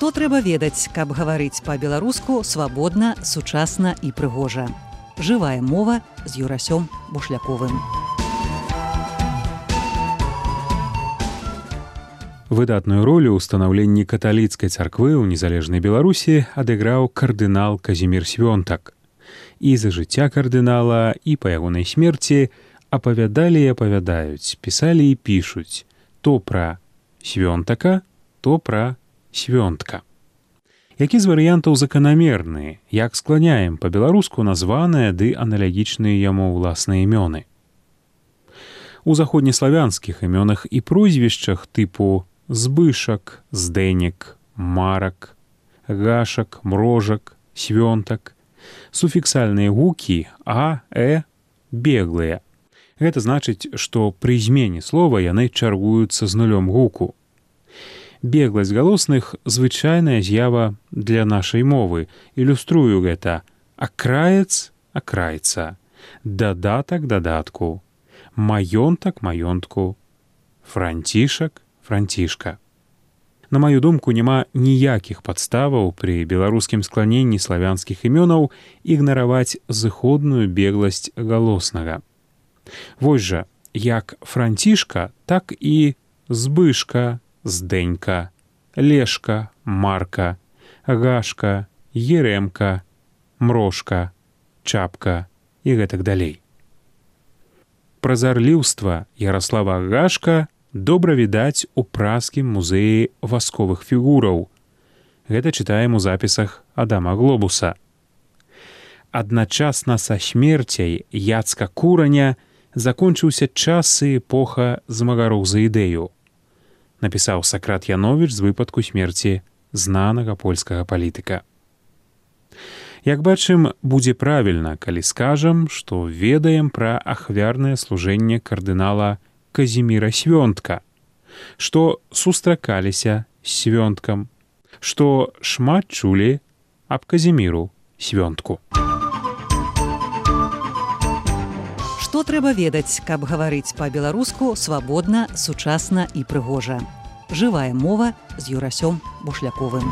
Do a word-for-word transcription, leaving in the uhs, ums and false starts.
Што трэба ведаць, каб гаварыць па-беларуску свабодна, сучасна і прыгожа. Жывая мова з Юрасём Бушляковым. Выдатную ролю ў станаўленні каталіцкай царквы ў незалежнай Беларусі адыграў кардынал Казімір Свёнтак. І за жыцця кардынала, і па ягонай смерці апавядалі і апавядаюць, пісалі і пішуць то пра Свёнтака, то пра Свёнтка. Які з варыянтаў заканамерны, як скланяем па-беларуску названыя ды аналагічныя яму ўласныя імёны. У заходнеславянскіх імёнах і прозвішчах тыпу Збышак, Здэнек, Марак, Гашак, Мрожак, Свёнтак суфіксальныя гукі а, э, беглыя. Гэта значыць, што пры змене слова яны чаргуюцца з нулём гуку. Бегласць галосных — звычайная з'ява для нашай мовы. Ілюструю гэта: акраец — акрайца, дадатак — дадатку, маёнтак — маёнтку, францішак — францішка. На маю думку, няма ніякіх падставаў пры беларускім скланенні славянскіх імёнаў ігнараваць зыходную бегласць галоснага. Вось жа, як францішка, так і збышка, Здэнька, Лешка, Марка, Гашка, Ерэмка, Мрошка, Чапка і гэтак далей. Празарліўства Яраслава Гашка добра відаць у празскім музеі васковых фігураў. Гэта чытаем у запісах Адама Глобуса. Адначасна са смерцяй Яцка Кураня закончыўся час і эпоха змагароў за ідэю, напісаў Сакрат Яновіч з выпадку смерці знанага польскага палітыка. Як бачым, будзе правільна, калі скажам, што ведаем пра ахвярнае служэнне кардынала Казіміра Свёнтка, што сустракаліся з Свёнткам, што шмат чулі аб Казіміру Свёнтку. Што трэба ведаць, каб гаварыць па-беларуску свабодна, сучасна і прыгожа. Жывая мова з Юрасём Бушляковым.